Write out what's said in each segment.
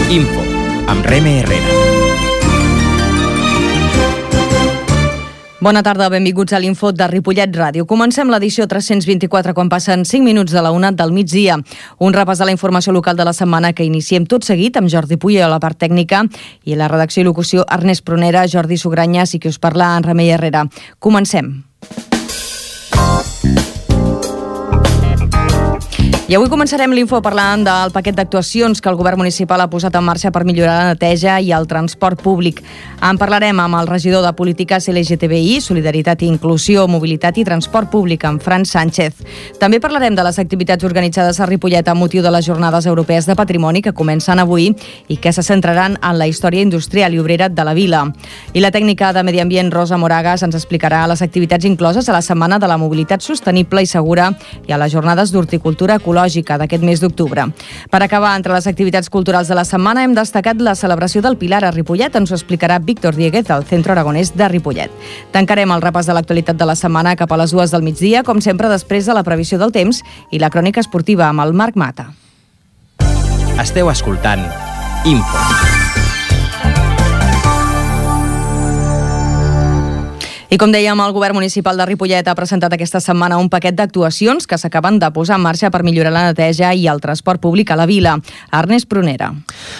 Info, amb Reme Herrera. Bona tarda, benvinguts a l'Info de Ripollet Ràdio. Comencem l'edició 324 quan passen 5 minuts de la 1 del migdia. Un repàs de la informació local de la setmana que iniciem tot seguit amb Jordi Puy a la part tècnica i la redacció i locució Ernest Prunera, Jordi Sugranyes i qui us parla en Remei Herrera. Comencem. I avui començarem l'Info parlant del paquet d'actuacions que el govern municipal ha posat en marxa per millorar la neteja i el transport públic. En parlarem amb el regidor de Polítiques LGTBI, Solidaritat i Inclusió, Mobilitat i Transport Públic, en Fran Sánchez. També parlarem de les activitats organitzades a Ripollet amb motiu de les Jornades Europees de Patrimoni que comencen avui i que se centraran en la història industrial i obrera de la vila. I la tècnica de Medi Ambient, Rosa Moragas, ens explicarà les activitats incloses a la Setmana de la Mobilitat Sostenible i Segura i a les Jornades d'Horticultura Ecològica d'aquest mes d'octubre. Per acabar, entre les activitats culturals de la setmana hem destacat la celebració del Pilar a Ripollet. Ens ho explicarà Víctor Dieguez del Centre Aragonès de Ripollet. Tancarem el repàs de l'actualitat de la setmana cap a les 2 del migdia, com sempre després de la previsió del temps i la crònica esportiva amb el Marc Mata. Esteu escoltant Info. I com dèiem, el govern municipal de Ripollet ha presentat aquesta setmana un paquet d'actuacions que s'acaben de posar en marxa per millorar la neteja i el transport públic a la vila. Ernest Prunera.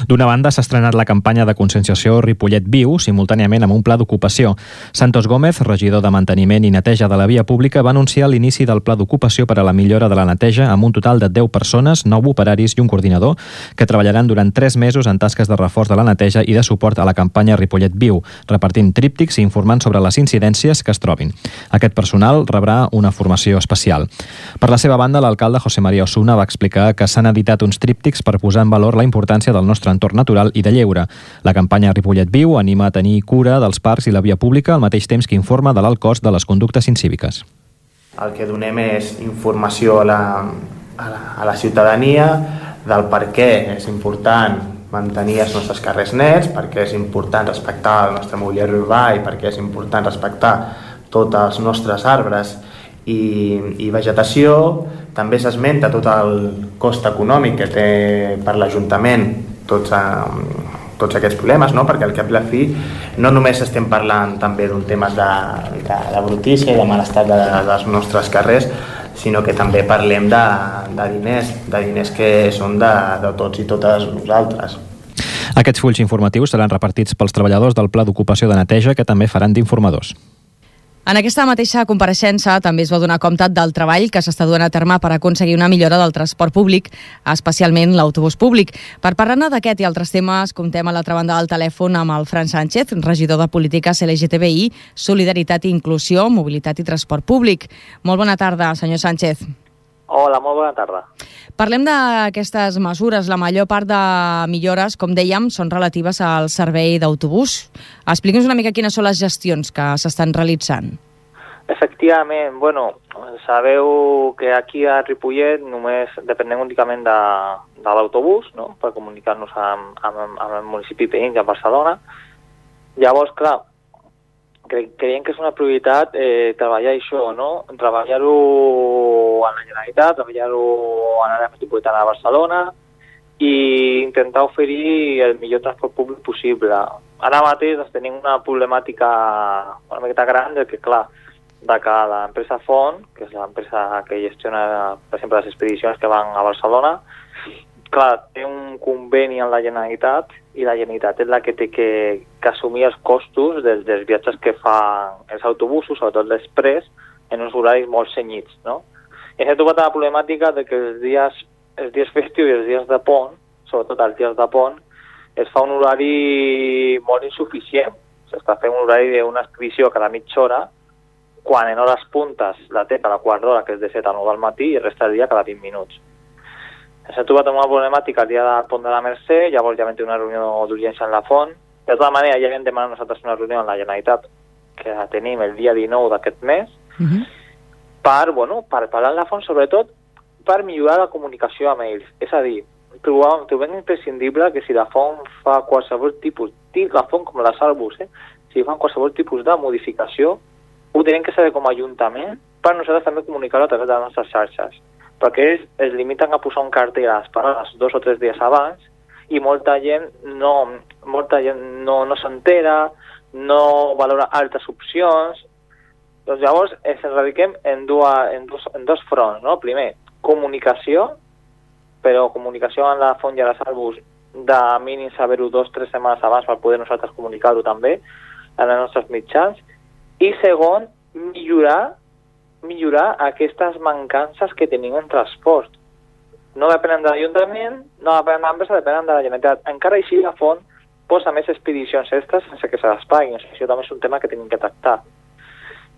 D'una banda, s'ha estrenat la campanya de conscienciació Ripollet Viu, simultàniament amb un pla d'ocupació. Santos Gómez, regidor de Manteniment i Neteja de la Via Pública, va anunciar l'inici del pla d'ocupació per a la millora de la neteja amb un total de 10 persones, 9 operaris i un coordinador, que treballaran durant 3 mesos en tasques de reforç de la neteja i de suport a la campanya Ripollet Viu, repartint tríptics i informant sobre les incidències que es trobin. Aquest personal rebrà una formació especial. Per la seva banda, l'alcalde José María Osuna va explicar que s'han editat uns tríptics per posar en valor la importància del nostre entorn natural i de lleure. La campanya Ripollet Viu anima a tenir cura dels parcs i la via pública al mateix temps que informa de l'alt cost de les conductes incíviques. El que donem és informació a la ciutadania del per què és important mantenir els nostres carrers nets, perquè és important respectar el nostre mobiliari urbà i perquè és important respectar tots els nostres arbres i vegetació. També s'esmenta tot el cost econòmic que té per l'Ajuntament tots aquests problemes, no? Perquè al cap i la fi no només estem parlant també d'un tema de brutícia i de mal estat dels nostres carrers, sinó que també parlem de diners que són de tots i totes nosaltres. Aquests fulls informatius seran repartits pels treballadors del Pla d'Ocupació de Neteja, que també faran d'informadors. En aquesta mateixa compareixença també es va donar compte del treball que s'està duent a terme per aconseguir una millora del transport públic, especialment l'autobús públic. Per parlar-ne d'aquest i altres temes, comptem a l'altra banda del telèfon amb el Fran Sánchez, regidor de Polítiques LGTBI, Solidaritat i Inclusió, Mobilitat i Transport Públic. Molt bona tarda, senyor Sánchez. Hola, molt bona tarda. Parlem d'aquestes mesures. La major part de millores, com dèiem, són relatives al servei d'autobús. Expliqui'ns una mica quines són les gestions que s'estan realitzant. Efectivament, sabeu que aquí a Ripollet només depenem únicament de l'autobús, no?, per comunicar-nos amb el municipi veí, a Barcelona. Llavors, clar, creiem que és una prioritat treballar això, no? Treballar-ho a la Generalitat, treballar-ho a l'àrea metropolitana de Barcelona i intentar oferir el millor transport públic possible. Ara mateix tenim una problemàtica una miqueta gran que, clar, que l'empresa Font, que és l'empresa que gestiona, per exemple, les expedicions que van a Barcelona, clar, té un conveni amb la Generalitat i la Generalitat és la que té que assumir els costos dels viatges que fan els autobusos, sobretot l'express, en uns horaris molt cenyits, no? I s'ha trobat la problemàtica de que els dies festius i els dies de pont, sobretot els dies de pont, es fa un horari molt insuficient. S'està fent un horari d'una expedició cada mitja hora, quan en hores puntes la té cada quart d'hora, que és de 7 a 9 del matí, i resta del dia cada 20 minuts. S'ha trobat una problemàtica el dia del pont de la Mercè, llavors ja vam tenir una reunió d'urgència en la Font. De tota manera, ja vam demanar nosaltres una reunió amb la Generalitat, que la tenim el dia 19 d'aquest mes, per parlar amb la Font, sobretot per millorar la comunicació amb ells. És a dir, trobem imprescindible que si la Font fa qualsevol tipus, la Font com la Salbus, si fan qualsevol tipus de modificació, ho tenim que saber com a Ajuntament per nosaltres també comunicar-ho a través de les nostres xarxes, perquè ells es limiten a posar un cartell a les parades 2 o 3 dies abans i molta gent no s'entera, no valora altres opcions. Doncs llavors ens radiquem en dos fronts, no? Primer, comunicació, però comunicació en la font i a les arbus de mínim saber-ho 2-3 setmanes abans per poder nosaltres comunicar-ho també en els nostres mitjans. I segon, millorar aquestes mancances que tenim en transport. No depenen de l'Ajuntament, no depenen de l'empresa, depenen de la Generalitat. Encara així la font posa més expedicions extres sense que se les paguin. Això també és un tema que tenim que tractar.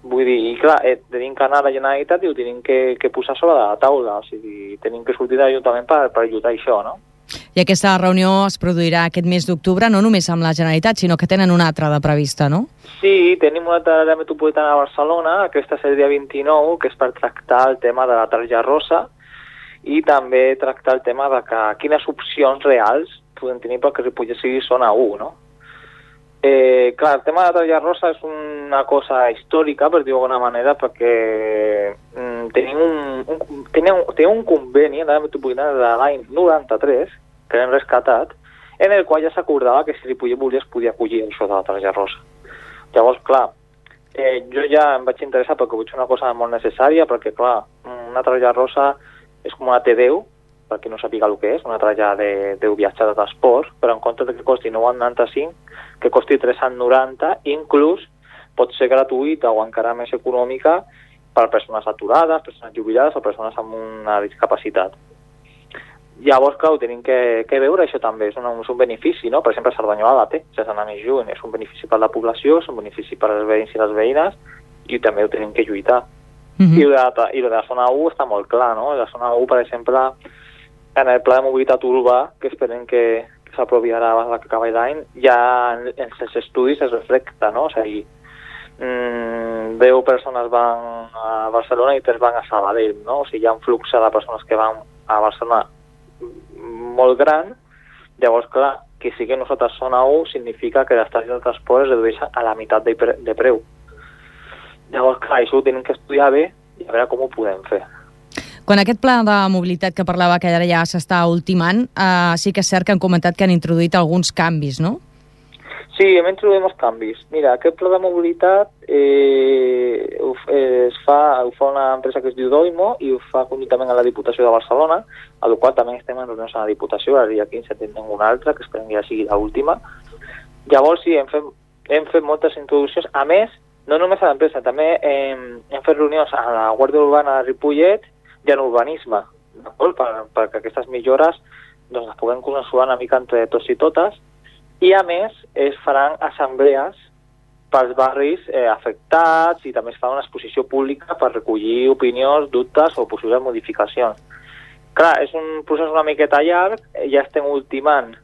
Vull dir, i clar, tenim que anar a la Generalitat i ho tenim que posar sobre la taula. O sigui, tenim que sortir de l'Ajuntament per ajudar això, no? I aquesta reunió es produirà aquest mes d'octubre, no només amb la Generalitat, sinó que tenen una altra de prevista, no? Sí, tenim una altra àrea metropolitana a Barcelona, aquesta és el dia 29, que és per tractar el tema de la targeta rosa i també tractar el tema de quines opcions reals podem tenir perquè Ripollet sigui zona 1, no? Clar, el tema de la targeta rosa és una cosa històrica, per dir-ho d'alguna manera, perquè tenim un conveni en l'àrea metropolitana de l'any 93, que l'hem rescatat, en el qual ja s'acordava que si Ripollet volia es podia acollir això de la targeta rosa. Llavors, clar, jo ja em vaig interessar perquè vull fer una cosa molt necessària, perquè, clar, una targeta rosa és com una T10, per qui no sàpiga el que és, una targeta de viatge de transport, però en comptes de que costi 9,95, que costi 3,90, inclús pot ser gratuïta o encara més econòmica per persones aturades, persones jubilades o persones amb una discapacitat. Llavors, clar, tenim que veure això també, és un benefici, no? Per exemple, Cerdanyola la té, sense anar més lluny, és un benefici per la població, és un benefici per als veïns i les veïnes, i també ho tenim que lluitar. I el de la zona 1 està molt clar, no? La zona 1, per exemple, en el pla de mobilitat urbà, que esperem que s'aprovi ara abans que acabi l'any, ja en els estudis es reflecta, no? O sigui, 10 persones van a Barcelona i 3 van a Sabadell, no? O sigui, hi ha un flux de persones que van a Barcelona molt gran. Llavors, clar, que sigui nosaltres zona 1 significa que l'estació de transport es redueix a la meitat de preu. Llavors, clar, això ho tenim que estudiar bé i a veure com ho podem fer. Quan aquest pla de mobilitat que parlava que ara ja s'està ultimant, sí que és cert que han comentat que han introduït alguns canvis, no? Sí, hem introduït molts canvis. Mira, aquest pla de mobilitat ho fa una empresa que es diu Doimo i ho fa conjuntament amb la Diputació de Barcelona, a la qual també estem en reunions a la Diputació, el dia 15 tindrem una altra, que esperem que ja sigui l'última. Llavors sí, hem fet moltes introduccions. A més, no només a l'empresa, també hem fet reunions a la Guàrdia Urbana de Ripollet i en urbanisme, d'acord? Perquè aquestes millores doncs, les puguem consensuar una mica entre tots i totes. I a més es faran assemblees pels barris afectats i també es fa una exposició pública per recollir opinions, dubtes o possibles modificacions. Clar, és un procés una miqueta llarg, ja estem ultimant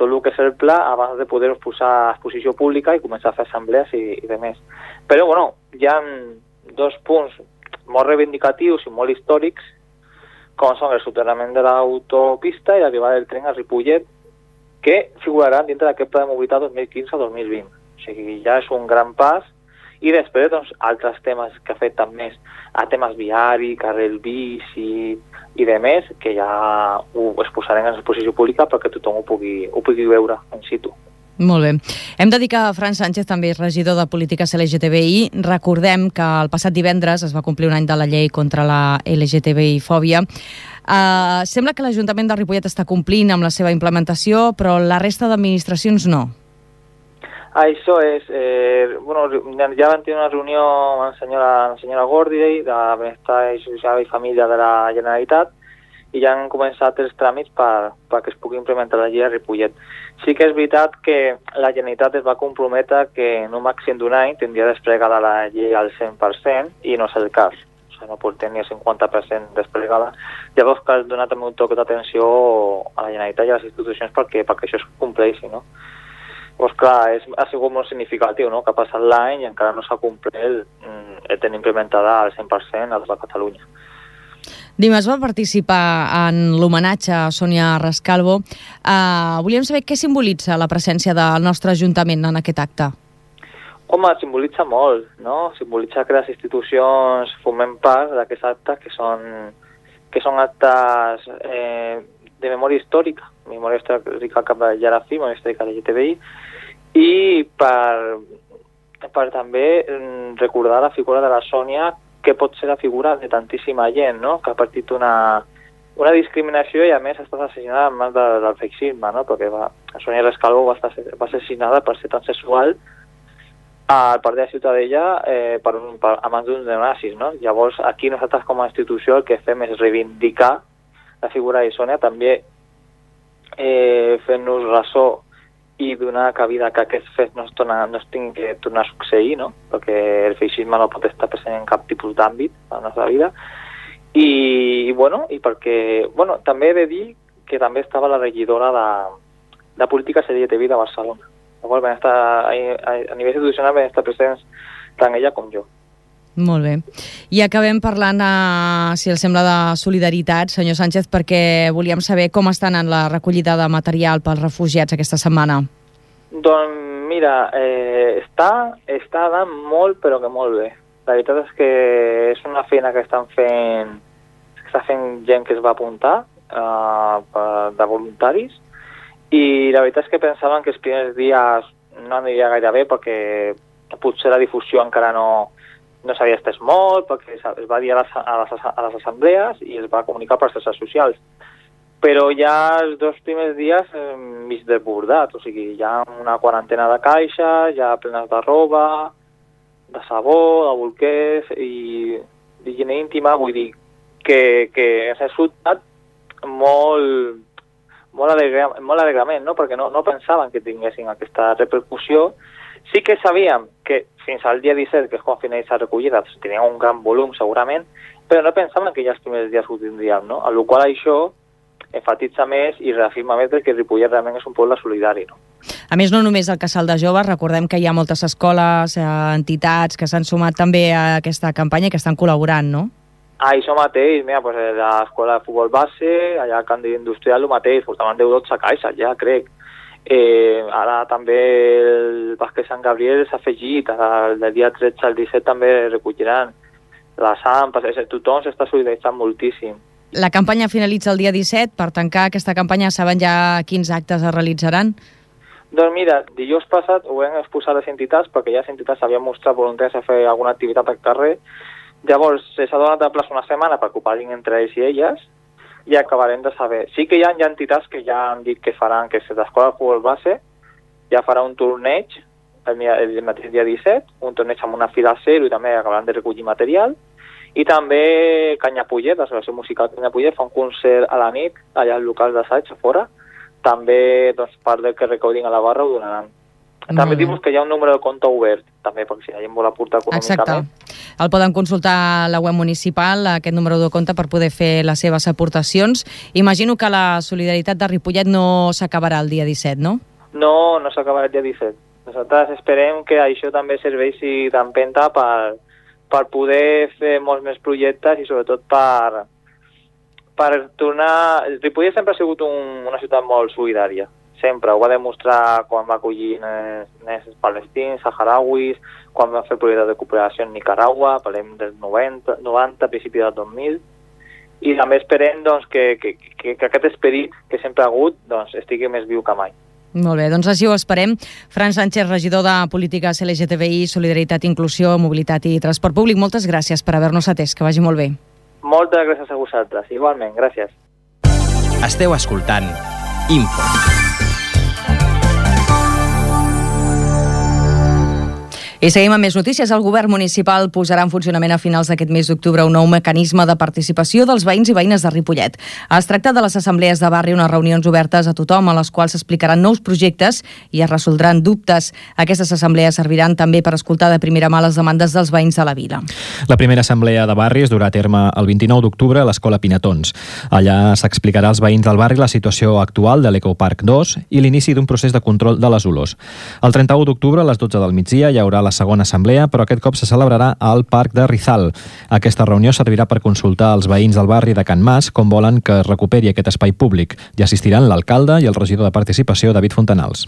tot el que és el pla abans de poder posar a exposició pública i començar a fer assemblees i de més. Però, bueno, hi ha 2 punts molt reivindicatius i molt històrics, com són el soterrament de l'autopista i l'arribada del tren a Ripollet, que figuraran dintre d'aquest pla de mobilitat 2015-2020. O sigui, ja és un gran pas. I després, doncs, altres temes que afecten més a temes viari, carril bici i de més, que ja ho exposarem en exposició pública perquè tothom ho pugui veure in situ. Molt bé. Hem de dir que Fran Sánchez també és regidor de Polítiques LGTBI. Recordem que el passat divendres es va complir un any de la llei contra la LGTBI-fòbia. Sembla que l'Ajuntament de Ripollet està complint amb la seva implementació, però la resta d'administracions no. Això és... ja vam tenir una reunió amb la senyora Gordy de Benestar Social i Família de la Generalitat i ja han començat els tràmits perquè es pugui implementar la llei a Ripollet. Sí que és veritat que la Generalitat es va comprometre que en un màxim d'un any tindria desplegada la llei al 100% i no és el cas. O sigui, no portem ni el 50% desplegada. Llavors cal donar també un toc d'atenció a la Generalitat i a les institucions perquè això es compleixi, no? Doncs clar, ha sigut molt significatiu, no?, que ha passat l'any i encara no s'ha complert tenir implementada al 100% a tota Catalunya. Dimarts va participar en l'homenatge a Sònia Rescalvo. Volíem saber què simbolitza la presència del nostre Ajuntament en aquest acte. Home, simbolitza molt, no? Simbolitza que les institucions formem part d'aquests actes que són actes de memòria històrica cap de Jarafi, memòria històrica de LGTBI, i per també recordar la figura de la Sònia, que pot ser la figura de tantíssima gent, no?, que ha patit una discriminació i a més ha estat assassinada en mans del feixisme, no?, perquè Sònia Rescalvo va assassinada per ser transsexual al partit de Ciutadella a mans d'uns neonazis, no? Llavors, aquí nosaltres com a institució el que fem és reivindicar la figura de Sònia, també fent-nos ressò i donar cabida que aquests fets no es tinguin que tornar a succeir, no? Perquè el feixisme no pot estar present en cap tipus d'àmbit de la nostra vida. I perquè també he de dir que també estava la regidora de polítiques LGTBI de Barcelona. Llavors, a nivell institucional van estar presents tant ella com jo. Molt bé. I acabem parlant, si els sembla, de solidaritat, senyor Sánchez, perquè volíem saber com estan en la recollida de material pels refugiats aquesta setmana. Doncs mira, està anant molt, però que molt bé. La veritat és que és una feina que està fent gent que es va apuntar de voluntaris, i la veritat és que pensaven que els primers dies no aniria gaire bé perquè potser la difusió encara no s'havia estès molt, perquè es va dir a les assemblees i es va comunicar per xarxes socials. Però ja els 2 primers dies mig desbordat, o sigui, hi ha una quarantena de caixes, ja plenes de roba, de sabó, de bolquers i d'higiene íntima, vull dir que s'ha resultat molt alegrament, no? Perquè no pensaven que tinguessin aquesta repercussió. Sí que sabíem que fins al dia 17, que és quan finalitza la recollida, tenien un gran volum segurament, però no pensaven que ja els primers dies ho tindríem, no? A la qual això enfatitza més i reafirma més que Ripollet realment és un poble solidari, no? A més, no només el Casal de Joves, recordem que hi ha moltes escoles, entitats que s'han sumat també a aquesta campanya i que estan col·laborant, no? Això mateix, mira, pues, l'escola de futbol base, allà al Camp d'Industrial, el mateix, portaven 10-12 caixes, ja crec. Ara també el bàsquet Sant Gabriel s'ha afegit, del dia 13 al 17 també recolliran les AMPs, tothom s'està solidaritzant moltíssim. La campanya finalitza el dia 17, per tancar aquesta campanya saben ja quins actes es realitzaran? Doncs mira, dijous passat ho vam exposar a les entitats, perquè ja les entitats havien mostrat voluntaris a fer alguna activitat al carrer. Llavors s'ha donat de plaç una setmana per que ho parlin entre ells i elles i acabarem de saber. Sí que hi ha entitats que ja han dit que faran, que l'escola de futbol base ja farà un torneig el mateix dia 17, un torneig amb una fila zero i també acabaran de recollir material. I també Canyapollet, l'associació musical Canyapollet, fa un concert a la nit allà al local d'assaig a fora. També part del que recollin a la barra ho donaran. També dius que hi ha un número de compte obert, també, perquè si la gent vol aportar econòmicament. Exacte. El poden consultar a la web municipal, aquest número de compte, per poder fer les seves aportacions. Imagino que la solidaritat de Ripollet no s'acabarà el dia 17, no? No s'acabarà el dia 17. Nosaltres esperem que això també serveixi d'empenta per poder fer molts més projectes i sobretot per tornar... Ripollet sempre ha sigut una ciutat molt solidària. Sempre, ho va demostrar quan va acollir nens palestins, saharauis, quan va fer projectes de cooperació en Nicaragua, parlem del 90, principi del 2000, i també esperem que aquest esperit que sempre ha hagut estigui més viu que mai. Molt bé, doncs així ho esperem. Fran Sánchez, regidor de Polítiques LGTBI, Solidaritat, Inclusió, Mobilitat i Transport Públic, moltes gràcies per haver-nos atès, que vagi molt bé. Moltes gràcies a vosaltres, igualment, gràcies. Esteu escoltant Info. I seguim amb més notícies. El govern municipal posarà en funcionament a finals d'aquest mes d'octubre un nou mecanisme de participació dels veïns i veïnes de Ripollet. Es tracta de les assemblees de barri, unes reunions obertes a tothom, a les quals s'explicaran nous projectes i es resoldran dubtes. Aquestes assemblees serviran també per escoltar de primera mà les demandes dels veïns de la vila. La primera assemblea de barri es durà a terme el 29 d'octubre a l'Escola Pinatons. Allà s'explicarà als veïns del barri la situació actual de l'Ecoparc 2 i l'inici d'un procés de control de les olors. El 31 d'octubre a les 12 del migdia hi haurà la segona assemblea, però aquest cop se celebrarà al Parc de Rizal. Aquesta reunió servirà per consultar als veïns del barri de Can Mas com volen que es recuperi aquest espai públic. Hi assistiran l'alcalde i el regidor de Participació, David Fontanals.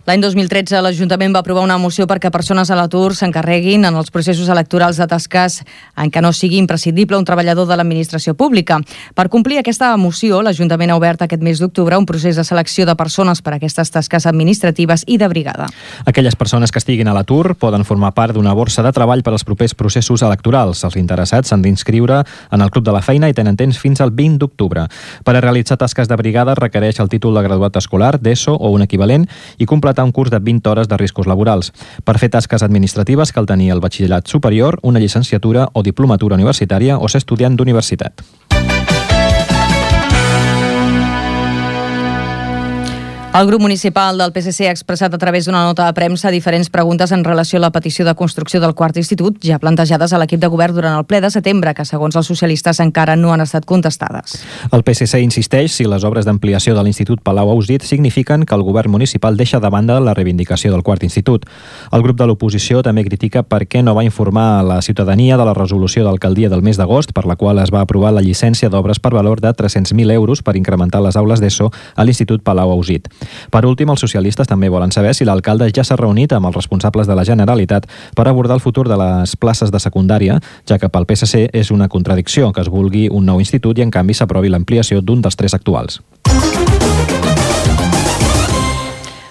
L'any 2013 l'Ajuntament va aprovar una moció perquè persones a l'atur s'encarreguin en els processos electorals de tasques en què no sigui imprescindible un treballador de l'administració pública. Per complir aquesta moció, l'Ajuntament ha obert aquest mes d'octubre un procés de selecció de persones per a aquestes tasques administratives i de brigada. Aquelles persones que estiguin a l'atur poden formar part d'una borsa de treball per als propers processos electorals. Els interessats s'han d'inscriure en el Club de la Feina i tenen temps fins al 20 d'octubre. Per a realitzar tasques de brigada requereix el títol de graduat escolar, d'ESO o un equivalent i completar un curs de 20 hores de riscos laborals. Per fer tasques administratives cal tenir el batxillerat superior, una llicenciatura o diplomatura universitària o ser estudiant d'universitat. El grup municipal del PSC ha expressat a través d'una nota de premsa diferents preguntes en relació a la petició de construcció del quart institut, ja plantejades a l'equip de govern durant el ple de setembre, que segons els socialistes encara no han estat contestades. El PSC insisteix si les obres d'ampliació de l'Institut Palau-Ausit signifiquen que el govern municipal deixa de banda la reivindicació del quart institut. El grup de l'oposició també critica per què no va informar a la ciutadania de la resolució d'alcaldia del mes d'agost, per la qual es va aprovar la llicència d'obres per valor de 300.000 euros per incrementar les aules d'ESO a l'Institut Palau-Ausit. Per últim, els socialistes també volen saber si l'alcalde ja s'ha reunit amb els responsables de la Generalitat per abordar el futur de les places de secundària, ja que pel PSC és una contradicció que es vulgui un nou institut i en canvi s'aprovi l'ampliació d'un dels 3 actuals.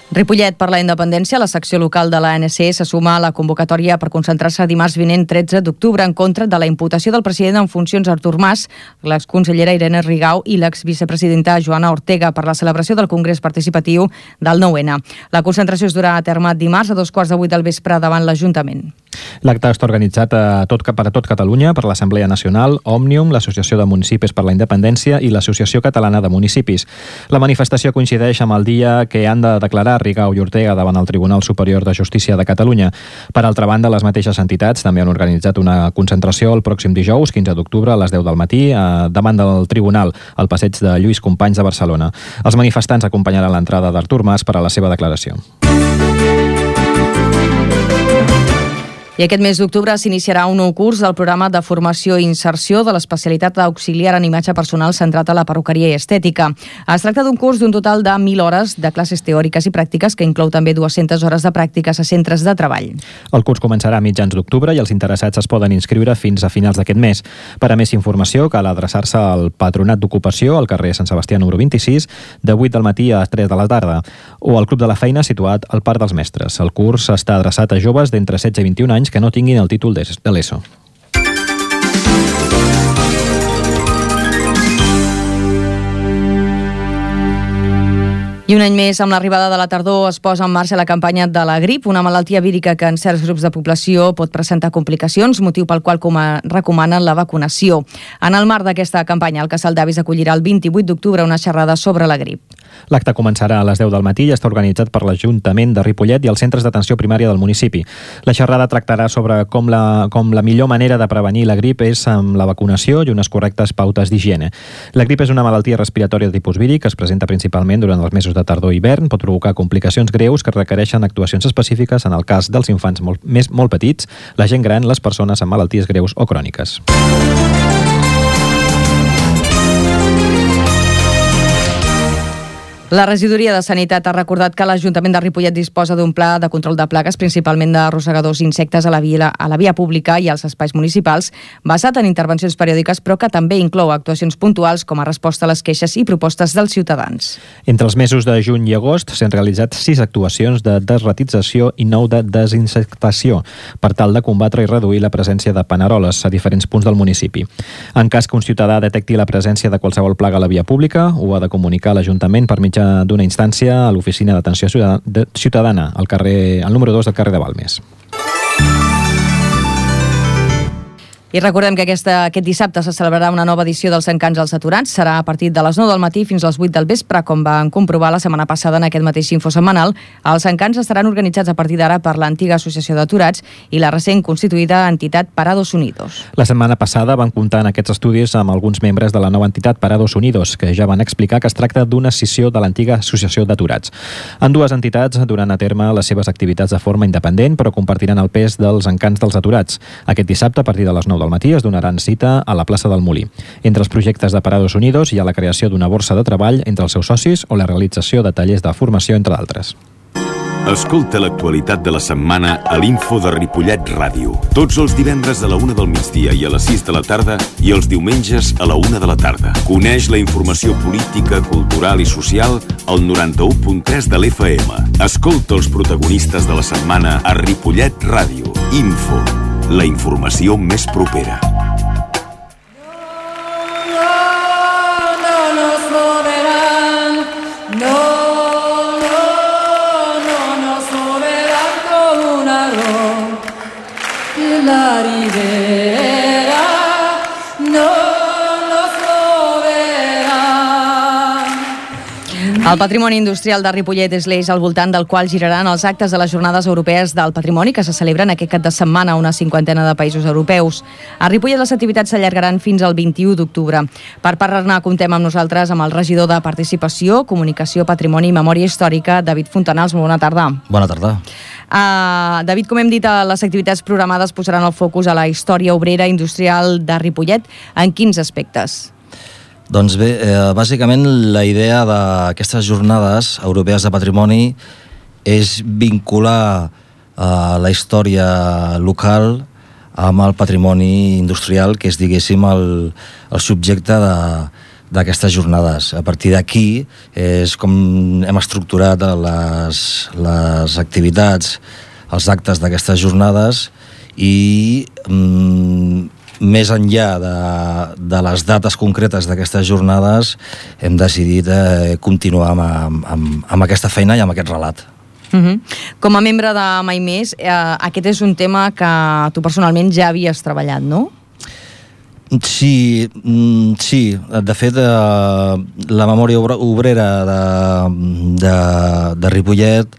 Ripollet per la independència, la secció local de l'ANC se suma a la convocatòria per concentrar-se dimarts vinent 13 d'octubre en contra de la imputació del president en funcions Artur Mas, l'exconsellera Irene Rigau i l'exvicepresidenta Joana Ortega per la celebració del Congrés Participatiu del 9-N. La concentració es durà a terme dimarts a 2:15 del vespre davant l'Ajuntament. L'acte està organitzat per a tot Catalunya per l'Assemblea Nacional, Òmnium, l'Associació de Municipis per la Independència i l'Associació Catalana de Municipis. La manifestació coincideix amb el dia que han de declarar Rigau i Ortega davant el Tribunal Superior de Justícia de Catalunya. Per altra banda, les mateixes entitats també han organitzat una concentració el pròxim dijous, 15 d'octubre, a les 10 del matí, davant del Tribunal, al passeig de Lluís Companys de Barcelona. Els manifestants acompanyaran l'entrada d'Artur Mas per a la seva declaració. I aquest mes d'octubre s'iniciarà un nou curs del programa de formació i inserció de l'especialitat d'auxiliar en imatge personal centrat a la perruqueria i estètica. Es tracta d'un curs d'un total de 1.000 hores de classes teòriques i pràctiques que inclou també 200 hores de pràctiques a centres de treball. El curs començarà a mitjans d'octubre i els interessats es poden inscriure fins a finals d'aquest mes. Per a més informació cal adreçar-se al Patronat d'Ocupació al carrer Sant Sebastià número 26 de 8 del matí a 3 de la tarda o al Club de la Feina situat al Parc dels Mestres. El curs està adreçat a joves d'entre 16 i 21 anys que no tinguin el títol de l'ESO. I un any més, amb l'arribada de la tardor, es posa en marxa la campanya de la grip, una malaltia vírica que en certs grups de població pot presentar complicacions, motiu pel qual recomanen la vacunació. En el marc d'aquesta campanya, el Casal d'Avis acollirà el 28 d'octubre una xerrada sobre la grip. L'acte començarà a les 10 del matí i està organitzat per l'Ajuntament de Ripollet i els centres d'atenció primària del municipi. La xerrada tractarà sobre com la millor manera de prevenir la grip és amb la vacunació i unes correctes pautes d'higiene. La grip és una malaltia respiratòria de tipus víric que es presenta principalment durant els mesos de tardor i hivern, pot provocar complicacions greus que requereixen actuacions específiques en el cas dels infants molt petits, la gent gran, les persones amb malalties greus o cròniques. La regidoria de Sanitat ha recordat que l'Ajuntament de Ripollet disposa d'un pla de control de plagues, principalment de rosegadors i insectes a la via pública i als espais municipals, basat en intervencions periòdiques, però que també inclou actuacions puntuals com a resposta a les queixes i propostes dels ciutadans. Entre els mesos de juny i agost s'han realitzat 6 actuacions de desratització i 9 de desinsectació per tal de combatre i reduir la presència de paneroles a diferents punts del municipi. En cas que un ciutadà detecti la presència de qualsevol plaga a la via pública, ho ha de comunicar a l'Ajuntament per mitjà d'una instància a l'Oficina d'Atenció Ciutadana, al número 2 del carrer de Balmes. I recordem que aquest dissabte se celebrarà una nova edició dels Encants als Aturats. Serà a partir de les 9 del matí fins a les 8 del vespre, com van comprovar la setmana passada en aquest mateix info setmanal. Els Encants estaran organitzats a partir d'ara per l'antiga Associació d'Aturats i la recent constituïda entitat Parados Unidos. La setmana passada van comptar en aquests estudis amb alguns membres de la nova entitat Parados Unidos, que ja van explicar que es tracta d'una escissió de l'antiga Associació d'Aturats. Ambdues entitats duran a terme les seves activitats de forma independent, però compartiran el pes dels Encants dels Aturats. Aquest dissabte, a partir de les 9 del matí, es donaran cita a la plaça del Molí. Entre els projectes de Parados Unidos hi ha la creació d'una borsa de treball entre els seus socis o la realització de tallers de formació, entre d'altres. Escolta l'actualitat de la setmana a l'Info de Ripollet Ràdio. Tots els divendres a la 1 del migdia i a les 6 de la tarda i els diumenges a la 1 de la tarda. Coneix la informació política, cultural i social al 91.3 de l'FM. Escolta els protagonistes de la setmana a Ripollet Ràdio. Info, la informació més propera. El patrimoni industrial de Ripollet és l'eix al voltant del qual giraran els actes de les Jornades Europees del Patrimoni que se celebren aquest cap de setmana a una 50ena de països europeus. A Ripollet les activitats s'allargaran fins al 21 d'octubre. Per parlar-ne comptem amb nosaltres amb el regidor de Participació, Comunicació, Patrimoni i Memòria Històrica, David Fontanals. Molt bona tarda. Bona tarda. David, com hem dit, les activitats programades posaran el focus a la història obrera industrial de Ripollet. En quins aspectes? Doncs bé, bàsicament la idea d'aquestes jornades europees de patrimoni és vincular la història local amb el patrimoni industrial, que és, diguéssim, el subjecte d'aquestes jornades. A partir d'aquí és com hem estructurat les activitats, els actes d'aquestes jornades i més enllà de les dates concretes d'aquestes jornades hem decidit continuar amb aquesta feina i amb aquest relat. Com a membre de Mai Més, aquest és un tema que tu personalment ja havies treballat, no? Sí. De fet, la memòria obrera de Ripollet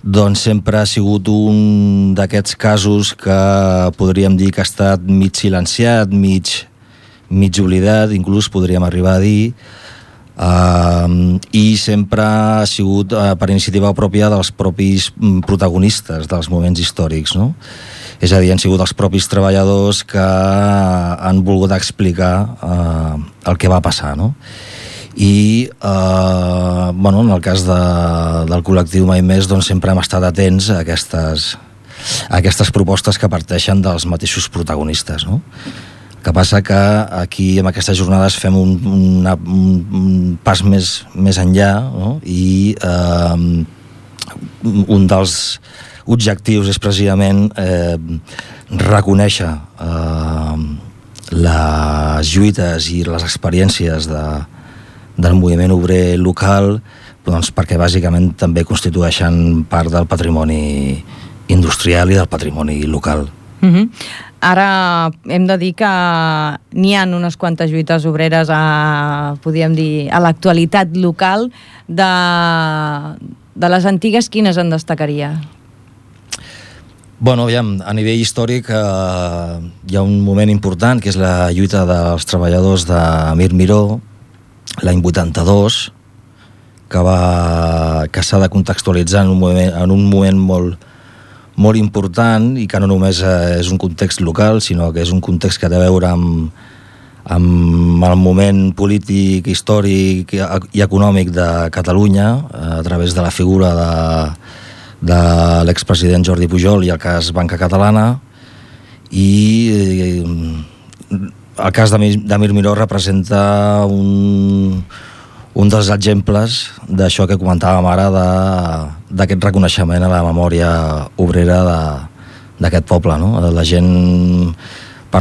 doncs sempre ha sigut un d'aquests casos que podríem dir que ha estat mig silenciat, mig oblidat, inclús podríem arribar a dir, i sempre ha sigut per iniciativa pròpia dels propis protagonistes dels moments històrics, no? És a dir, han sigut els propis treballadors que han volgut explicar el que va passar, no? I en el cas del col·lectiu Mai Més doncs sempre hem estat atents a aquestes propostes que parteixen dels mateixos protagonistes, no? El que passa que aquí amb aquestes jornades fem un pas més enllà, no? I un dels objectius és precisament reconèixer les lluites i les experiències del moviment obrer local, doncs perquè bàsicament també constitueixen part del patrimoni industrial i del patrimoni local. Ara hem de dir que n'hi ha unes quantes lluites obreres podríem dir, a l'actualitat local. De les antigues, quines en destacaria? Bueno, aviam, a nivell històric hi ha un moment important que és la lluita dels treballadors de Mir Miró l'any 82, que s'ha de contextualitzar en un moment molt important i que no només és un context local, sinó que és un context que té a veure amb el moment polític, històric i econòmic de Catalunya a través de la figura de l'expresident Jordi Pujol i el cas Banca Catalana, i el cas de Mir Miró representa un dels exemples d'això que comentàvem ara, d'aquest reconeixement a la memòria obrera d'aquest poble, no? Per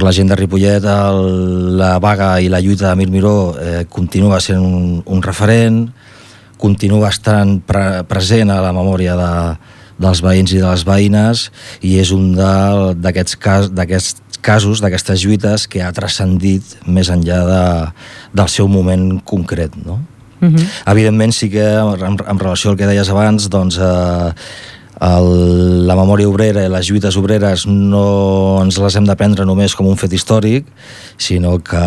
la gent de Ripollet, la vaga i la lluita de Mir Miró continua sent un referent, continua estant present a la memòria dels veïns i de les veïnes, i és un d'aquests casos, d'aquestes lluites, que ha transcendit més enllà del seu moment concret, no? Evidentment, sí que en relació al que deies abans, doncs la memòria obrera i les lluites obreres no ens les hem de prendre només com un fet històric, sinó que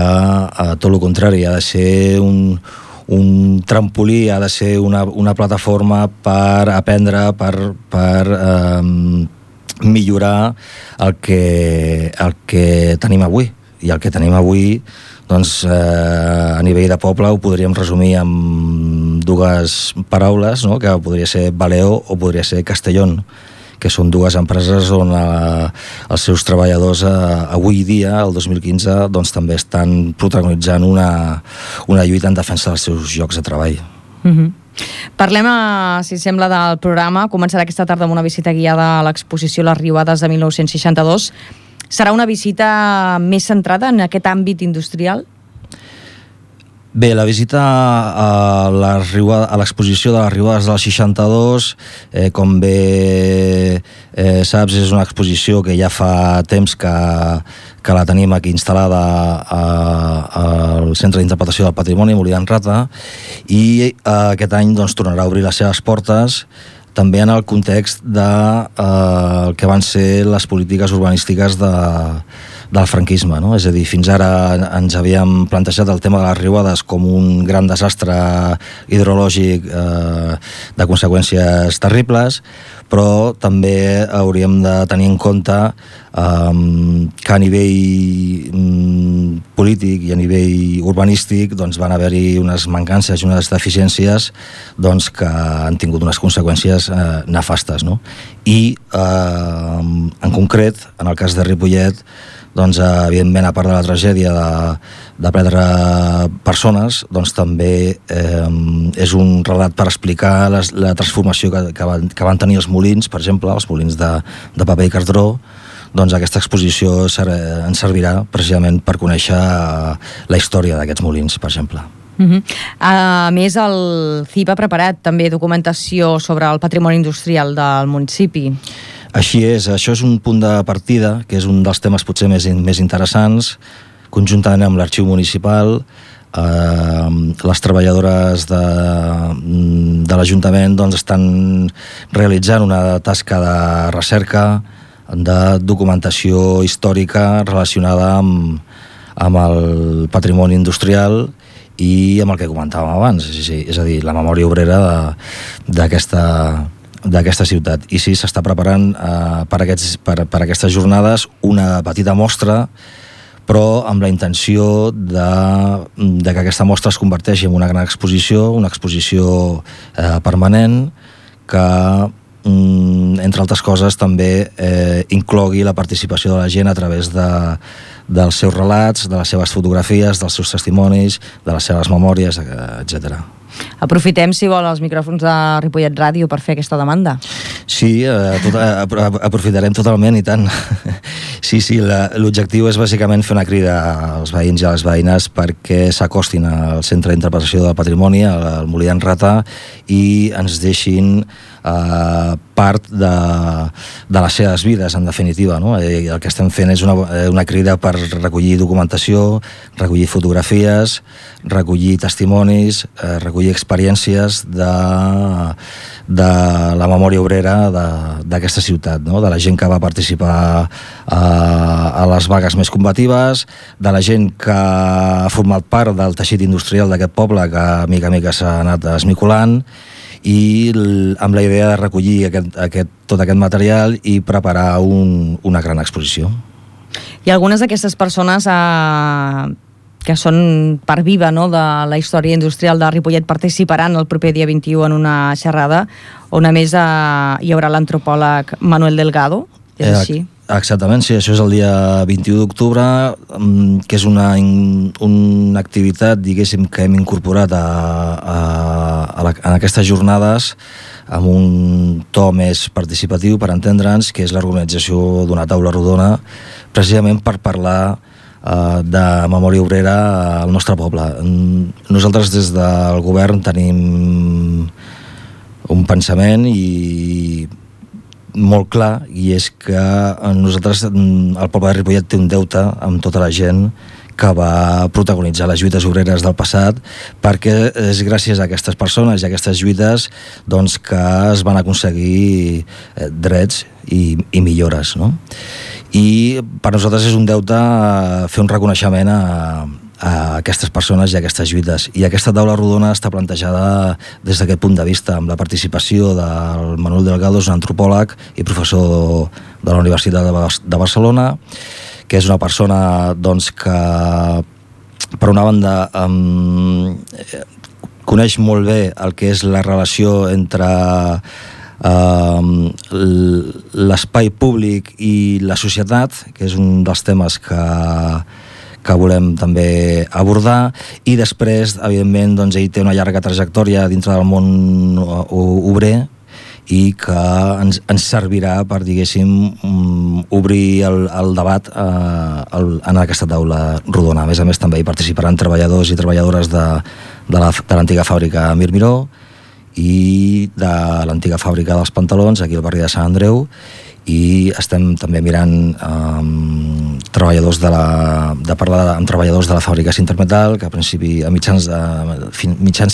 tot el contrari, ha de ser un trampolí, ha de ser una plataforma per aprendre, per millorar el que tenim avui. I el que tenim avui Doncs a nivell de poble ho podríem resumir amb dues paraules, no? Que podria ser Baleo o podria ser Castellón, que són dues empreses on els seus treballadors avui dia, el 2015, doncs també estan protagonitzant una lluita en defensa dels seus llocs de treball. Parlem, si sembla, del programa. Començarà aquesta tarda amb una visita guiada a l'exposició Les Riuades de 1962. Serà una visita més centrada en aquest àmbit industrial? Bé, la visita a l'exposició de les Riuades del 62, com bé saps, és una exposició que ja fa temps que la tenim aquí instal·lada al Centre d'Interpretació del Patrimoni, Molí d'en Rata, i aquest any doncs, tornarà a obrir les seves portes, també en el context de que van ser les polítiques urbanístiques del franquisme, no? És a dir, fins ara ens havíem plantejat el tema de les riuades com un gran desastre hidrològic de conseqüències terribles, però també hauríem de tenir en compte que a nivell polític i a nivell urbanístic doncs van haver-hi unes mancances i unes deficiències doncs, que han tingut unes conseqüències nefastes, no? I en concret, en el cas de Ripollet, doncs, evidentment, a part de la tragèdia de perdre persones, doncs també és un relat per explicar la transformació que van tenir els molins, per exemple, els molins de paper i cartró. Doncs aquesta exposició ens servirà precisament per conèixer la història d'aquests molins, per exemple. A més, el CIP ha preparat també documentació sobre el patrimoni industrial del municipi. Així és, això és un punt de partida, que és un dels temes potser més interessants, conjuntament amb l'arxiu municipal. Les treballadores de l'Ajuntament doncs, estan realitzant una tasca de recerca, de documentació històrica relacionada amb el patrimoni industrial i amb el que comentàvem abans, és a dir, la memòria obrera d'aquesta ciutat. I sí, s'està preparant per aquestes jornades una petita mostra, però amb la intenció de que aquesta mostra es converteixi en una gran exposició, una exposició permanent, que entre altres coses també inclogui la participació de la gent a través dels seus relats, de les seves fotografies, dels seus testimonis, de les seves memòries, etc. Aprofitem, si vol, els micròfons de Ripollet Ràdio per fer aquesta demanda. Sí, aprofitarem totalment, i tant. Sí, l'objectiu és bàsicament fer una crida als veïns i a les veïnes perquè s'acostin al Centre d'Interpretació del Patrimoni, al Molí d'en Rata, i ens deixin part de les seves vides, en definitiva, no? El que estem fent és una crida per recollir documentació, recollir fotografies, recollir testimonis, recollir experiències de la memòria obrera d'aquesta ciutat, no? De la gent que va participar a les vagues més combatives, de la gent que ha format part del teixit industrial d'aquest poble, que mica a mica s'ha anat esmicolant, i amb la idea de recollir tot aquest material i preparar una gran exposició. I algunes d'aquestes persones que són part viva, no, de la història industrial de Ripollet participaran el proper dia 21 en una xerrada on a més hi haurà l'antropòleg Manuel Delgado, és així? Exactament, sí, això és el dia 21 d'octubre, que és una activitat, diguéssim, que hem incorporat en aquestes jornades amb un to més participatiu, per entendre'ns, que és l'organització d'una taula rodona, precisament per parlar de memòria obrera al nostre poble. Nosaltres des del govern tenim un pensament molt clar, i és que nosaltres, el poble de Ripollet, té un deute amb tota la gent que va protagonitzar les lluites obreres del passat, perquè és gràcies a aquestes persones i a aquestes lluites doncs, que es van aconseguir drets i millores, no? I per nosaltres és un deute fer un reconeixement a aquestes persones i a aquestes lluites. I aquesta taula rodona està plantejada des d'aquest punt de vista, amb la participació del Manuel Delgado, un antropòleg i professor de la Universitat de Barcelona, que és una persona doncs, que per una banda, coneix molt bé el que és la relació entre l'espai públic i la societat, que és un dels temes que volem també abordar, i després, evidentment, doncs, ell té una llarga trajectòria dintre del món obrer i que ens servirà per, diguéssim, obrir el debat en aquesta taula rodona. A més, també hi participaran treballadors i treballadores de l'antiga fàbrica Mir Miró i de l'antiga fàbrica dels pantalons aquí al barri de Sant Andreu, i estem també mirant treballadors parlar amb treballadors de la fàbrica Sintermetal, que a principi, a mitjans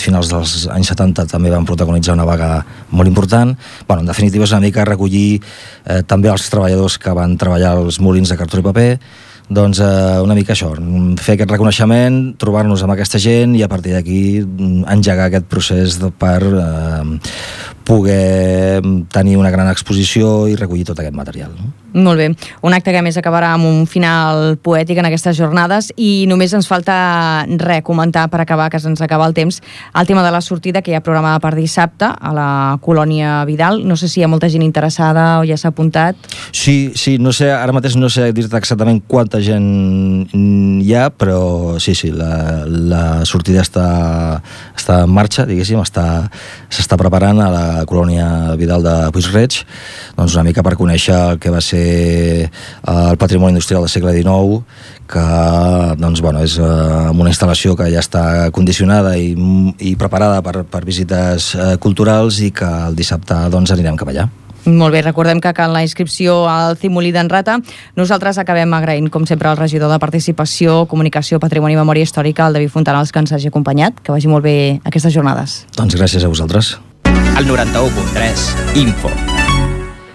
finals dels anys 70 també van protagonitzar una vaga molt important. En definitiva, és una mica recollir també els treballadors que van treballar als molins de cartró i paper. Doncs una mica això, fer aquest reconeixement, trobar-nos amb aquesta gent i a partir d'aquí engegar aquest procés per poder tenir una gran exposició i recollir tot aquest material. Molt bé. Un acte que a més acabarà amb un final poètic en aquestes jornades, i només ens falta comentar per acabar, que se'ns acaba el temps, el tema de la sortida que hi ha programada per dissabte a la Colònia Vidal. No sé si hi ha molta gent interessada o ja s'ha apuntat. Sí, no sé, ara mateix no sé dir-te exactament quanta gent hi ha, però sí, la sortida està en marxa, diguéssim, s'està preparant a la Colònia Vidal de Puig-reig, doncs una mica per conèixer el que va ser el patrimoni industrial del segle XIX, que doncs, és una instal·lació que ja està condicionada i preparada per visites culturals, i que el dissabte doncs, anirem cap allà. Molt bé, recordem que cal la inscripció al Cimolí d'en Rata. Nosaltres acabem agraint, com sempre, al regidor de Participació, Comunicació, Patrimoni i Memòria Històrica, el David Fontanals, que ens hagi acompanyat. Que vagi molt bé aquestes jornades. Doncs gràcies a vosaltres. El 91.3 Info.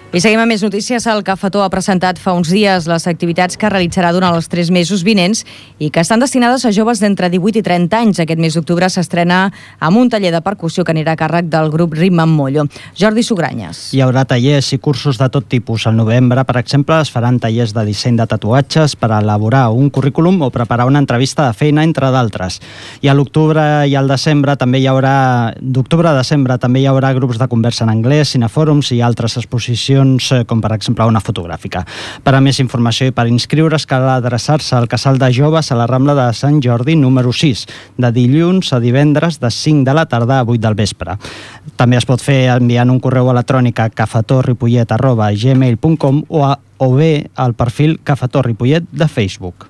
I seguim amb més notícies. El Cafetó ha presentat fa uns dies les activitats que realitzarà durant els 3 mesos vinents i que estan destinades a joves d'entre 18 i 30 anys. Aquest mes d'octubre s'estrena amb un taller de percussió que anirà a càrrec del grup Ritme amb Mollo. Jordi Sugranyes. Hi haurà tallers i cursos de tot tipus. Al novembre, per exemple, es faran tallers de disseny de tatuatges per elaborar un currículum o preparar una entrevista de feina, entre d'altres. I a l'octubre i al desembre també hi haurà grups de conversa en anglès, cinefòrums i altres exposicions, com per exemple una fotogràfica. Per a més informació i per inscriure's cal adreçar-se al Casal de Joves a la Rambla de Sant Jordi número 6, de dilluns a divendres de 5 de la tarda a 8 del vespre. També es pot fer enviant un correu electrònic a cafetorripollet@gmail.com o bé al perfil Cafetó Ripollet de Facebook.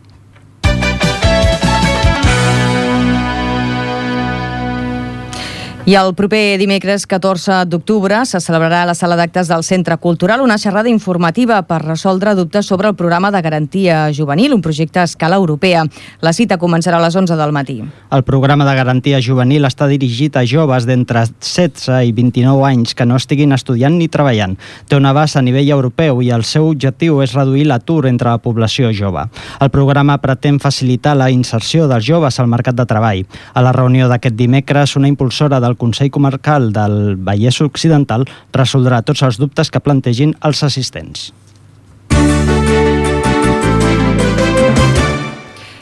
I el proper dimecres 14 d'octubre se celebrarà a la sala d'actes del Centre Cultural una xerrada informativa per resoldre dubtes sobre el programa de garantia juvenil, un projecte a escala europea. La cita començarà a les 11 del matí. El programa de garantia juvenil està dirigit a joves d'entre 16 i 29 anys que no estiguin estudiant ni treballant. Té un abast a nivell europeu i el seu objectiu és reduir l'atur entre la població jove. El programa pretén facilitar la inserció dels joves al mercat de treball. A la reunió d'aquest dimecres, una impulsora del Consell Comarcal del Vallès Occidental resoldrà tots els dubtes que plantegin els assistents.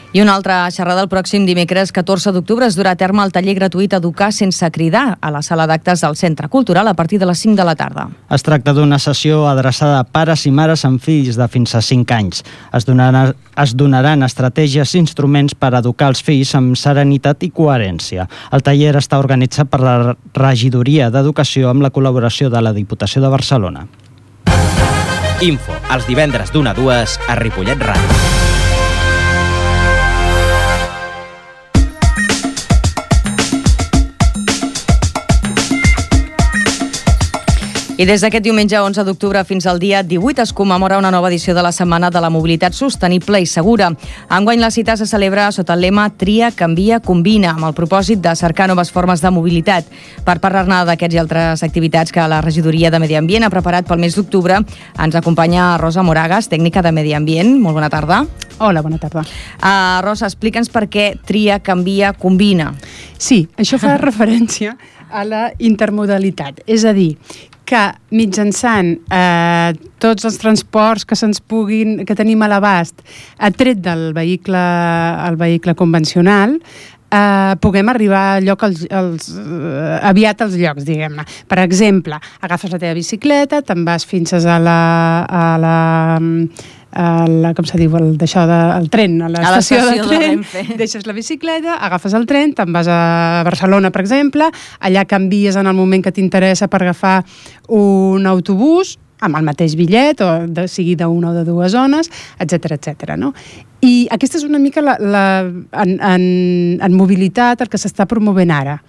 I una altra xerrada el pròxim dimecres 14 d'octubre es durà a terme el taller gratuït Educar sense cridar a la sala d'actes del Centre Cultural a partir de les 5 de la tarda. Es tracta d'una sessió adreçada a pares i mares amb fills de fins a 5 anys. Es donaran estratègies i instruments per educar els fills amb serenitat i coherència. El taller està organitzat per la Regidoria d'Educació amb la col·laboració de la Diputació de Barcelona. Info, els divendres d'1 a 2 a Ripollet Ràdio. I des d'aquest diumenge 11 d'octubre fins al dia 18 es commemora una nova edició de la Setmana de la Mobilitat Sostenible i Segura. Enguany la cita se celebra sota el lema Tria, Canvia, Combina, amb el propòsit de cercar noves formes de mobilitat. Per parlar-ne d'aquests i altres activitats que la Regidoria de Medi Ambient ha preparat pel mes d'octubre, ens acompanya Rosa Moragas, tècnica de Medi Ambient. Molt bona tarda. Hola, bona tarda. Rosa, explica'ns per què Tria, Canvia, Combina. Sí, això fa referència a la intermodalitat, és a dir, que mitjançant tots els transports que tenim a l'abast, tret del vehicle convencional, puguem arribar aviat als llocs, diguem-ne. Per exemple, agafes la teva bicicleta, te'n vas fins a la com se diu, el tren, a l'estació de tren, deixes la bicicleta, agafes el tren, te'n vas a Barcelona, per exemple, allà canvies en el moment que t'interessa per agafar un autobús, amb el mateix bitllet, o sigui d'una o de dues zones, etc. No? I aquesta és una mica en mobilitat el que s'està promovent ara.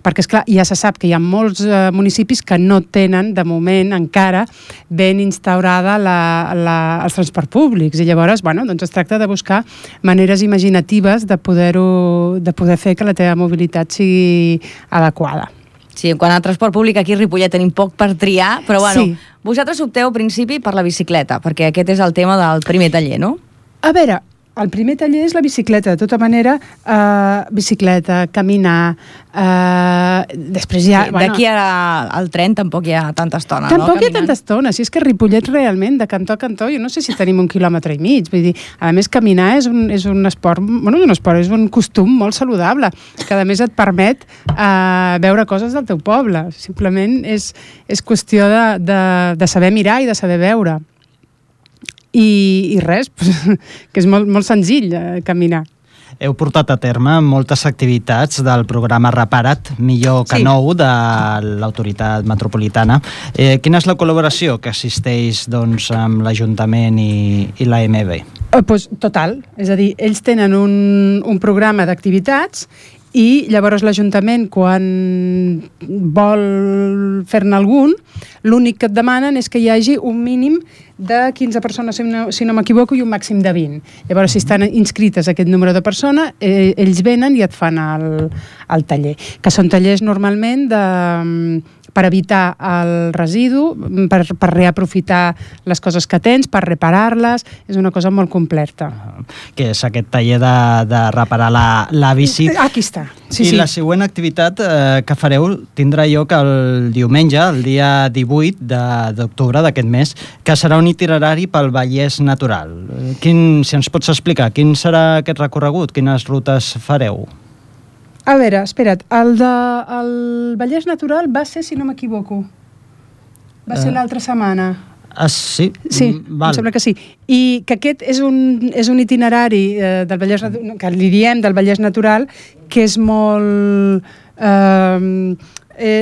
Perquè, esclar, ja se sap que hi ha molts municipis que no tenen, de moment, encara ben instaurada els transports públics. I llavors, doncs es tracta de buscar maneres imaginatives de poder fer que la teva mobilitat sigui adequada. Sí, en quant a transport públic, aquí a Ripollet tenim poc per triar, però vosaltres opteu, al principi, per la bicicleta, perquè aquest és el tema del primer taller, no? A veure, el primer taller és la bicicleta, de tota manera, bicicleta, caminar, després ja... D'aquí al tren tampoc hi ha tanta estona, no? Tampoc hi ha tanta estona, si és que Ripollet realment, de cantó a cantó, jo no sé si tenim 1,5 quilòmetres, vull dir, a més caminar és un esport, és un costum molt saludable, que a més et permet veure coses del teu poble, simplement és qüestió de saber mirar i de saber veure. I res, que és molt senzill caminar. Heu portat a terme moltes activitats del programa Repara't, millor que nou, de l'autoritat metropolitana. Quina és la col·laboració que existeix amb l'Ajuntament i l'AMB? Total, és a dir, ells tenen un programa d'activitats i llavors l'Ajuntament, quan vol fer-ne algun, l'únic que et demanen és que hi hagi un mínim de 15 persones, si no m'equivoco, i un màxim de 20. Llavors, si estan inscrites aquest número de persones, ells venen i et fan el taller, que són tallers normalment per evitar el residu, per reaprofitar les coses que tens, per reparar-les, és una cosa molt completa. Que és aquest taller de reparar la bici. Aquí està. I la següent activitat que fareu tindrà lloc el diumenge, el dia 18 d'octubre d'aquest mes, que serà un itinerari pel Vallès Natural. Si ens pots explicar, quin serà aquest recorregut? Quines rutes fareu? A veure, espera't, el Vallès Natural va ser, si no m'equivoco, va ser l'altra setmana. Sí? Sí, em sembla que sí. I que aquest és un itinerari del Vallès Natural, que li diem del Vallès Natural, que és molt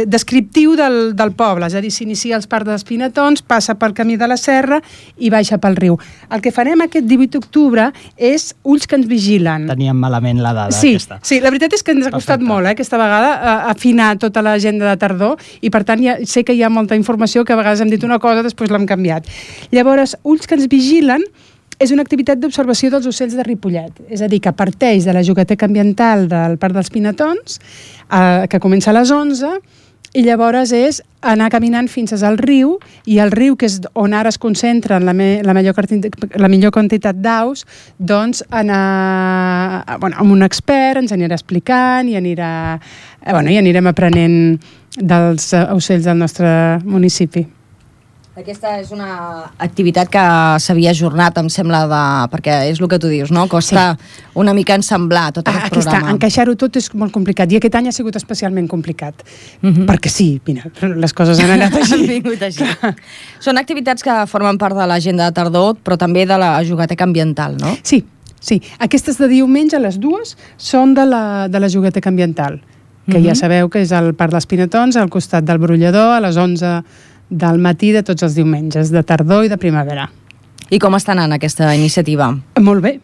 descriptiu del poble, és a dir, s'inicia als Parcs dels Pinetons, passa pel Camí de la Serra i baixa pel riu. El que farem aquest 18 d'octubre és Ulls que ens vigilen. Teníem malament la dada aquesta. Sí, la veritat és que ens ha costat molt aquesta vegada afinar tota l'agenda de tardor i per tant sé que hi ha molta informació que a vegades hem dit una cosa, després l'hem canviat. Llavors, Ulls que ens vigilen és una activitat d'observació dels ocells de Ripollet, és a dir, que parteix de la Jogueteca Ambiental del Parc dels Pinetons, que comença a les 11, i llavors és anar caminant fins al riu, i el riu, que és on ara es concentren la millor quantitat d'aus, doncs anar amb un expert, ens anirà explicant i anirem aprenent dels ocells del nostre municipi. Aquesta és una activitat que s'havia ajornat, em sembla, perquè és el que tu dius, no? Costa una mica ensemblar tot aquest programa. Aquí està, encaixar-ho tot és molt complicat, i aquest any ha sigut especialment complicat, perquè sí, mira, les coses han anat així. Han vingut així. Són activitats que formen part de l'agenda de tardor, però també de la Jogueteca Ambiental, no? Sí. Aquestes de diumenge, les dues, són de la Jogueteca Ambiental, que ja sabeu que és al Parc dels Pinetons, al costat del Brollador, a les 11 del matí de tots els diumenges, de tardor i de primavera. I com està anant aquesta iniciativa? Molt bé.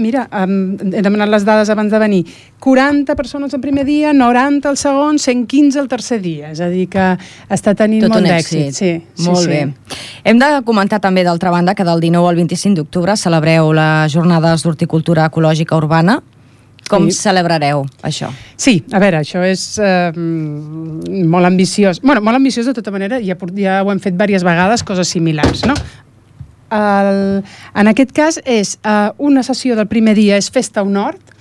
Mira, he demanat les dades abans de venir. 40 persones el primer dia, 90 el segon, 115 el tercer dia. És a dir, que està tenint molt d'èxit. Sí, molt bé. Hem de comentar també, d'altra banda, que del 19 al 25 d'octubre celebreu les jornades d'horticultura ecològica urbana. Com celebrareu això? Sí, a veure, això és molt ambiciós. Molt ambiciós de tota manera, ja ho hem fet diverses vegades, coses similars, no? En aquest cas és una sessió del primer dia, és Festa a un Hort,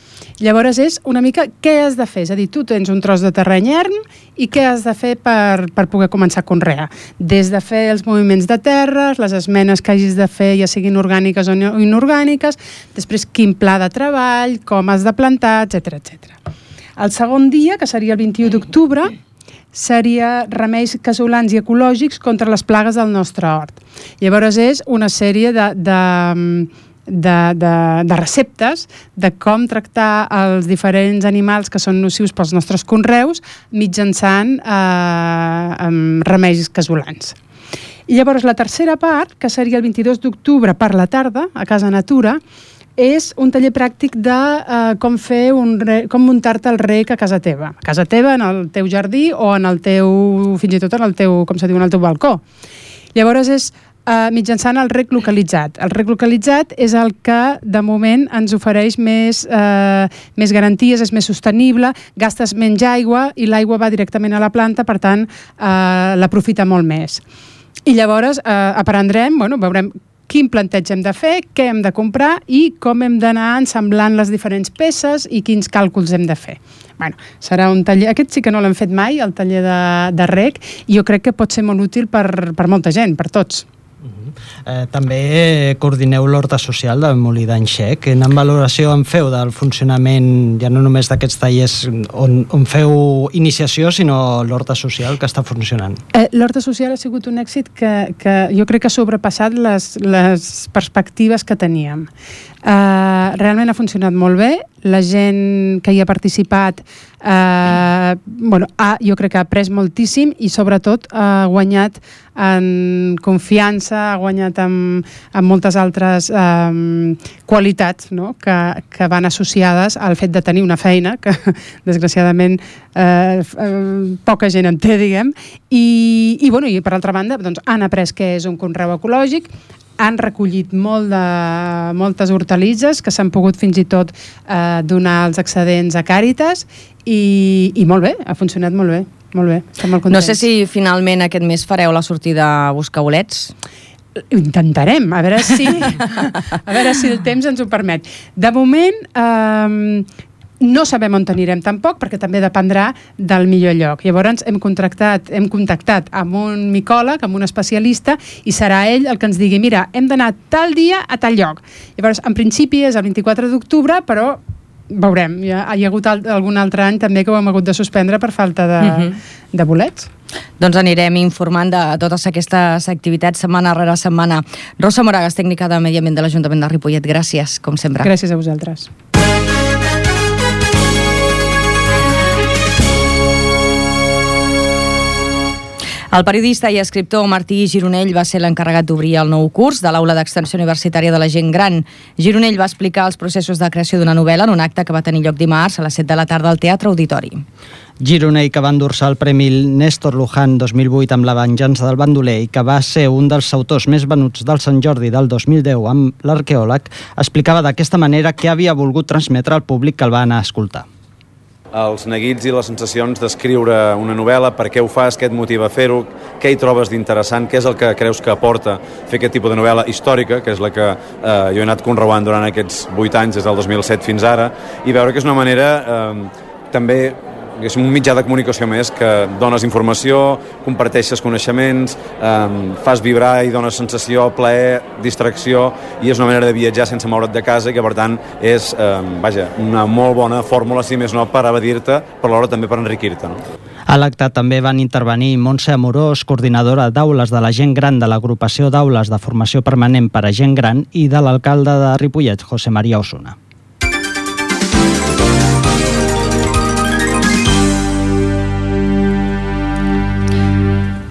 Llavors és una mica què has de fer, és a dir, tu tens un tros de terreny erm i què has de fer per poder començar a conrear. Des de fer els moviments de terres, les esmenes que hagis de fer, ja siguin orgàniques o inorgàniques, després quin pla de treball, com has de plantar, etc etc. El segon dia, que seria el 21 d'octubre, seria remeis casolans i ecològics contra les plagues del nostre hort. Llavors és una sèrie de receptes de com tractar els diferents animals que són nocius pels nostres conreus mitjançant remeis casolans. I llavors la tercera part, que seria el 22 d'octubre per la tarda, a Casa Natura, és un taller pràctic de com muntar-te el rec a casa teva. A casa teva, en el teu jardí o en el teu, fins i tot en el teu, com se diu, en el teu balcó. Llavors és mitjançant el rec localitzat. El rec localitzat és el que de moment ens ofereix més garanties, és més sostenible, gastes menys aigua i l'aigua va directament a la planta, per tant l'aprofita molt més. I llavors aprendrem, veurem quin planteig hem de fer, què hem de comprar i com hem d'anar ensamblant les diferents peces i quins càlculs hem de fer. Serà un taller, aquest sí que no l'hem fet mai, el taller de rec, i jo crec que pot ser molt útil per molta gent, per tots. També coordineu l'Horta Social del Molí d'en Xec. Quina valoració en feu del funcionament, ja no només d'aquests tallers on feu iniciació, sinó l'Horta Social que està funcionant? L'Horta Social ha sigut un èxit que jo crec que ha sobrepassat les perspectives que teníem. Realment ha funcionat molt bé, la gent que hi ha participat jo crec que ha après moltíssim i sobretot ha guanyat en confiança, ha guanyat en moltes altres qualitats, no? que van associades al fet de tenir una feina que desgraciadament poca gent en té, diguem, i per altra banda han après què és un conreu ecològic, han recollit moltes hortalisses que s'han pogut fins i tot donar els excedents a Càritas i molt bé, ha funcionat molt bé, estem molt contents. No sé si finalment aquest mes fareu la sortida a buscar bolets. Intentarem, a veure si el temps ens ho permet. De moment no sabem on anirem tampoc, perquè també dependrà del millor lloc. Llavors hem contactat amb un micòleg, amb un especialista, i serà ell el que ens digui, mira, hem d'anar tal dia a tal lloc. Llavors, en principi és el 24 d'octubre, però veurem. Hi ha hagut algun altre any també que ho hem hagut de suspendre per falta de bolets. Doncs anirem informant de totes aquestes activitats setmana rere setmana. Rosa Moragas, tècnica de Medi Ambient de l'Ajuntament de Ripollet, gràcies, com sempre. Gràcies a vosaltres. El periodista i escriptor Martí Gironell va ser l'encarregat d'obrir el nou curs de l'Aula d'Extensió Universitària de la Gent Gran. Gironell va explicar els processos de creació d'una novel·la en un acte que va tenir lloc dimarts a les 7 de la tarda al Teatre Auditori. Gironell, que va endur-se el Premi Néstor Luján 2008 amb La venjança del bandoler i que va ser un dels autors més venuts del Sant Jordi del 2010 amb l'arqueòleg, explicava d'aquesta manera què havia volgut transmetre al públic que el va anar a escoltar. Els neguits i les sensacions d'escriure una novel·la, per què ho fas, què et motiva a fer-ho, què hi trobes d'interessant, què és el que creus que aporta fer aquest tipus de novel·la històrica, que és la que jo he anat conreuant durant aquests 8 anys, des del 2007 fins ara, i veure que és una manera també és un mitjà de comunicació més que dones informació, comparteixes coneixements, fas vibrar i dones sensació, plaer, distracció, i és una manera de viatjar sense moure't de casa i que per tant és una molt bona fórmula, si més no, per evadir-te, però alhora també per enriquir-te. No? A l'acte també van intervenir Montse Amorós, coordinadora d'aules de la gent gran de l'agrupació d'aules de formació permanent per a gent gran, i de l'alcalde de Ripollet, José María Osuna.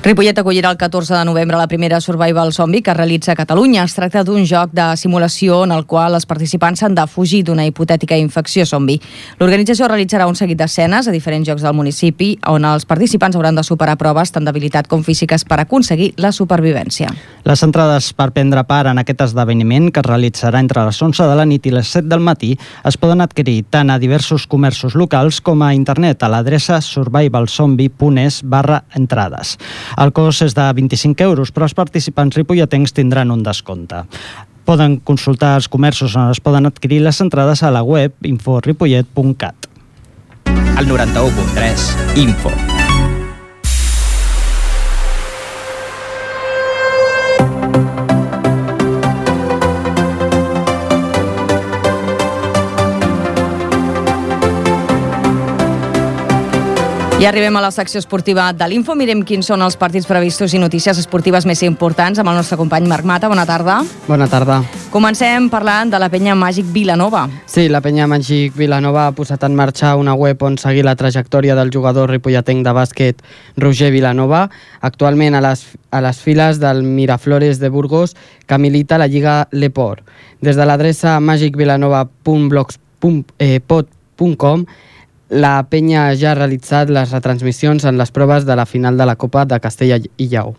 Ripollet acollirà el 14 de novembre la primera Survival Zombie que es realitza a Catalunya. Es tracta d'un joc de simulació en el qual els participants han de fugir d'una hipotètica infecció zombi. L'organització realitzarà un seguit d'escenes a diferents llocs del municipi on els participants hauran de superar proves tant d'habilitat com físiques per aconseguir la supervivència. Les entrades per prendre part en aquest esdeveniment, que es realitzarà entre les 11 de la nit i les 7 del matí, es poden adquirir tant a diversos comerços locals com a internet a l'adreça survivalzombie.es/entrades. El cost és de 25 €, però els participants ripolletens tindran un descompte. Poden consultar els comerços on es poden adquirir les entrades a la web inforipollet.cat. El 91.3 Info. I arribem a la secció esportiva de l'Info. Mirem quins són els partits previstos i notícies esportives més importants amb el nostre company Marc Mata. Bona tarda. Bona tarda. Comencem parlant de la penya Màgic Vilanova. Sí, la penya Màgic Vilanova ha posat en marxa una web on seguir la trajectòria del jugador ripolletenc de bàsquet Roger Vilanova, actualment a les files del Miraflores de Burgos, que milita a la Lliga Leport. Des de l'adreça magicvilanova.blogspot.com la penya ja ha realitzat les retransmissions en les proves de la final de la Copa de Castella i Lleó.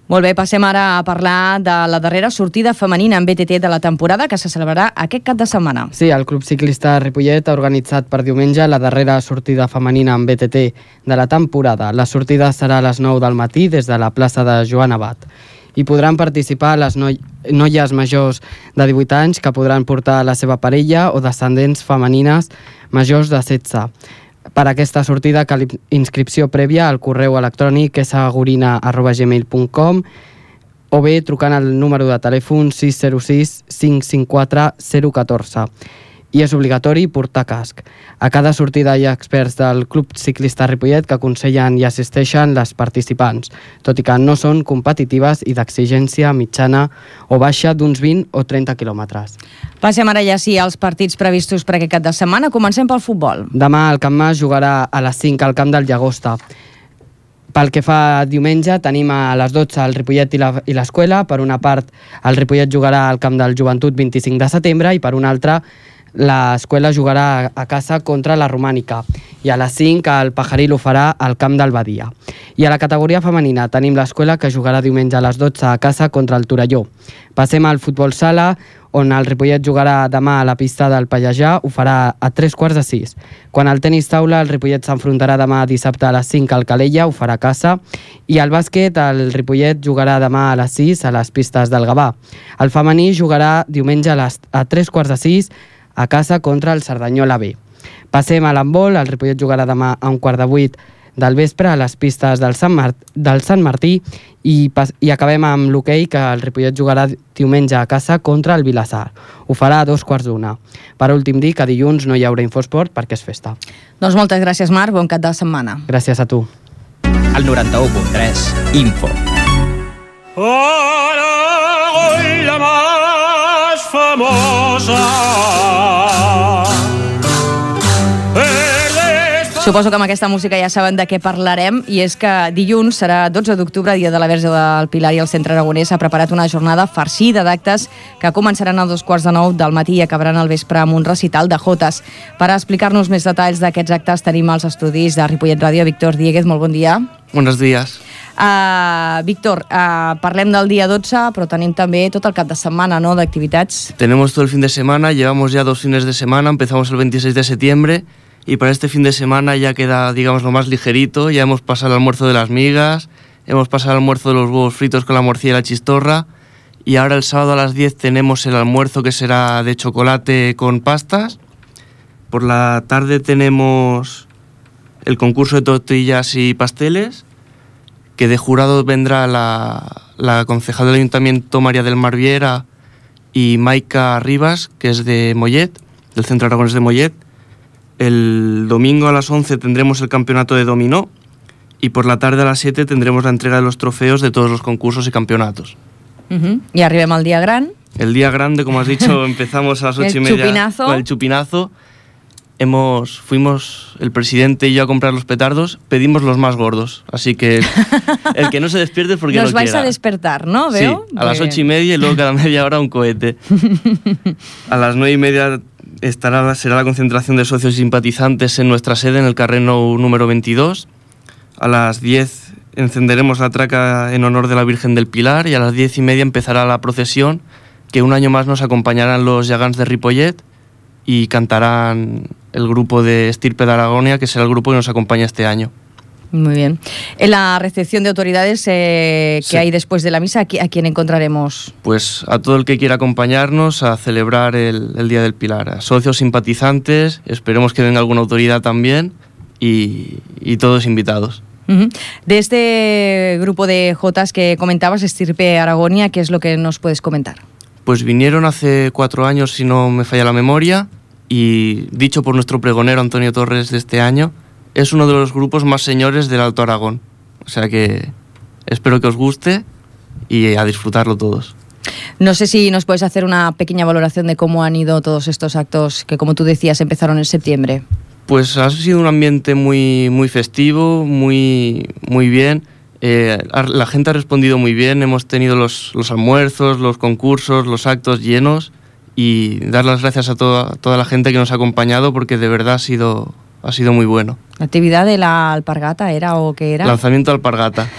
Molt bé, passem ara a parlar de la darrera sortida femenina en BTT de la temporada que se celebrarà aquest cap de setmana. Sí, el Club Ciclista Ripollet ha organitzat per diumenge la darrera sortida femenina en BTT de la temporada. La sortida serà a les 9 del matí des de la plaça de Joan Abat. Hi podran participar les noies majors de 18 anys que podran portar la seva parella o descendents femenines majors de 16. Per aquesta sortida cal inscripció prèvia al correu electrònic sagurina@gmail.com o bé trucant al número de telèfon 606 554 014. I és obligatori portar casc. A cada sortida hi ha experts del Club Ciclista Ripollet que aconsellen i assisteixen les participants, tot i que no són competitives i d'exigència mitjana o baixa d'uns 20 o 30 quilòmetres. Passem ara ja sí als partits previstos per aquest cap de setmana. Comencem pel futbol. Demà el Camp Mas jugarà a les 5 al camp del Llagosta. Pel que fa a diumenge, tenim a les 12 el Ripollet i l'Escuela. Per una part, el Ripollet jugarà al camp del Joventut 25 de setembre i per una altra, l'Escuela jugarà a casa contra la Romànica i a les 5 el Pajaril ho farà al camp del Badia. I a la categoria femenina tenim l'Escuela que jugarà diumenge a les 12 a casa contra el Torelló. Passem al futbol sala, on el Ripollet jugarà demà a la pista del Pallejà, ho farà a 3:45. Quan al tenis taula, el Ripollet s'enfrontarà demà dissabte a les 5 al Calella, ho farà a casa, i al bàsquet el Ripollet jugarà demà a les 6 a les pistes del Gavà. El femení jugarà diumenge a 3:45 a casa contra el Cerdanyola B. Passem a l'handbol, el Ripollet jugarà demà a 7:15 del vespre a les pistes del Sant Martí i acabem amb l'hoquei, que el Ripollet jugarà diumenge a casa contra el Vilassar. Ho farà a 2:15. Per últim dir que dilluns no hi haurà Infosport perquè és festa. Doncs moltes gràcies, Marc, bon cap de setmana. Gràcies a tu. El 91.3 Info. Hoy la más famosa. Suposo que amb aquesta música ja saben de què parlarem, i és que dilluns serà 12 d'octubre, dia de la Verge del Pilar, i el Centre Aragonès ha preparat una jornada farcida d'actes que començaran a 8:45 del matí i acabaran al vespre amb un recital de jotes. Per explicar-nos més detalls d'aquests actes tenim als estudis de Ripollet Ràdio Víctor Dieguez. Molt bon dia. Buenos días. Víctor, parlem del dia 12, però tenim també tot el cap de setmana, ¿no?, d'activitats. Tenemos todo el fin de semana, llevamos ya 2 fines de semana, empezamos el 26 de septiembre y para este fin de semana ya queda, digamos, lo más ligerito. Ya hemos pasado el almuerzo de las migas, hemos pasado el almuerzo de los huevos fritos con la morcilla y la chistorra, y ahora el sábado a las 10 tenemos el almuerzo que será de chocolate con pastas. Por la tarde tenemos el concurso de tortillas y pasteles, que de jurado vendrá la concejal del Ayuntamiento María del Mar Viera y Maika Rivas, que es de Mollet, del Centro Aragonés de Mollet. El domingo a las 11 tendremos el campeonato de dominó y por la tarde a las 7 tendremos la entrega de los trofeos de todos los concursos y campeonatos. I arribem al dia gran. El día grande, como has dicho, empezamos a las 8:30 con el chupinazo. Fuimos el presidente y yo a comprar los petardos, pedimos los más gordos, así que el que no se despierte porque no quiera. Nos vais a despertar, ¿no? ¿Veo? Sí, a las 8:30 y luego cada media hora un cohete. A las 9:30 será la concentración de socios y simpatizantes en nuestra sede, en el Carreno número 22. A las 10 encenderemos la traca en honor de la Virgen del Pilar y a las 10:30 empezará la procesión, que un año más nos acompañarán los Llagans de Ripollet y cantarán el grupo de Estirpe de Aragonia, que será el grupo que nos acompaña este año. Muy bien. En la recepción de autoridades que hay después de la misa, ¿a quién encontraremos? Pues a todo el que quiera acompañarnos a celebrar el Día del Pilar. A socios, simpatizantes, esperemos que venga alguna autoridad también y todos invitados. De este grupo de jotas que comentabas, Estirpe Aragonia, ¿qué es lo que nos puedes comentar? Pues vinieron hace 4 años, si no me falla la memoria, y dicho por nuestro pregonero Antonio Torres de este año, es uno de los grupos más señores del Alto Aragón. O sea que espero que os guste y a disfrutarlo todos. No sé si nos puedes hacer una pequeña valoración de cómo han ido todos estos actos que, como tú decías, empezaron en septiembre. Pues ha sido un ambiente muy festivo, muy bien. La gente ha respondido muy bien, hemos tenido los almuerzos, los concursos, los actos llenos, y dar las gracias a toda la gente que nos ha acompañado, porque de verdad ha sido muy bueno. ¿La actividad de la alpargata era o qué era? Lanzamiento de alpargata.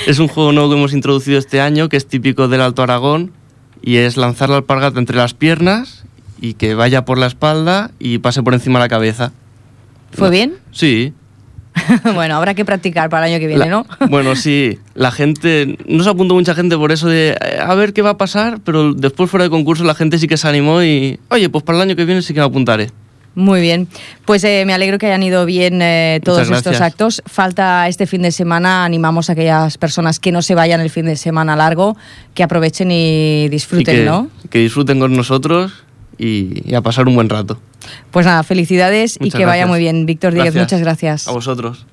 Es un juego nuevo que hemos introducido este año, que es típico del Alto Aragón, y es lanzar la alpargata entre las piernas y que vaya por la espalda y pase por encima de la cabeza. ¿Fue bien? Sí. Bueno, habrá que practicar para el año que viene, ¿no? Bueno, sí. La gente... No se apuntó mucha gente por eso de a ver qué va a pasar, pero después fuera de concurso la gente sí que se animó y... Oye, pues para el año que viene sí que me apuntaré. Muy bien. Pues me alegro que hayan ido bien todos estos actos. Falta este fin de semana. Animamos a aquellas personas que no se vayan el fin de semana largo, que aprovechen y disfruten, ¿no? Que disfruten con nosotros y a pasar un buen rato. Pues nada, felicidades y que vaya muy bien. Víctor Díez, muchas gracias. A vosotros.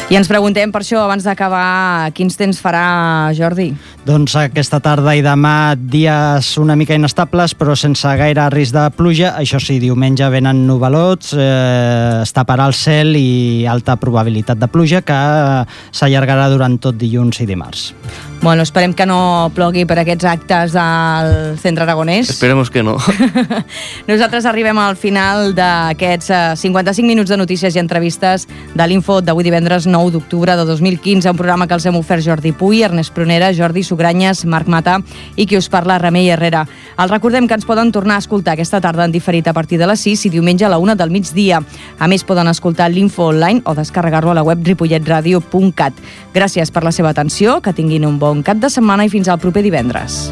I ens preguntem per això, abans d'acabar, quins temps farà, Jordi? Doncs aquesta tarda i demà dies una mica inestables, però sense gaire risc de pluja. Això sí, diumenge venen nuvalots, es taparà el cel i alta probabilitat de pluja, que s'allargarà durant tot dilluns i dimarts. Bueno, esperem que no plogui per aquests actes al centre aragonès. Esperemos que no. Nosaltres arribem al final d'aquests 55 minuts de notícies i entrevistes de l'Info d'avui divendres 9 d'octubre de 2015, un programa que els hem ofert Jordi Puy, Ernest Prunera, Jordi Sugranyes, Marc Mata i qui us parla, Remei Herrera. Els recordem que ens poden tornar a escoltar aquesta tarda en diferit a partir de les 6 i diumenge a la 1 del migdia. A més, poden escoltar l'Info online o descarregar-lo a la web ripolletradio.cat. Gràcies per la seva atenció, que tinguin un bon cap de setmana i fins al proper divendres.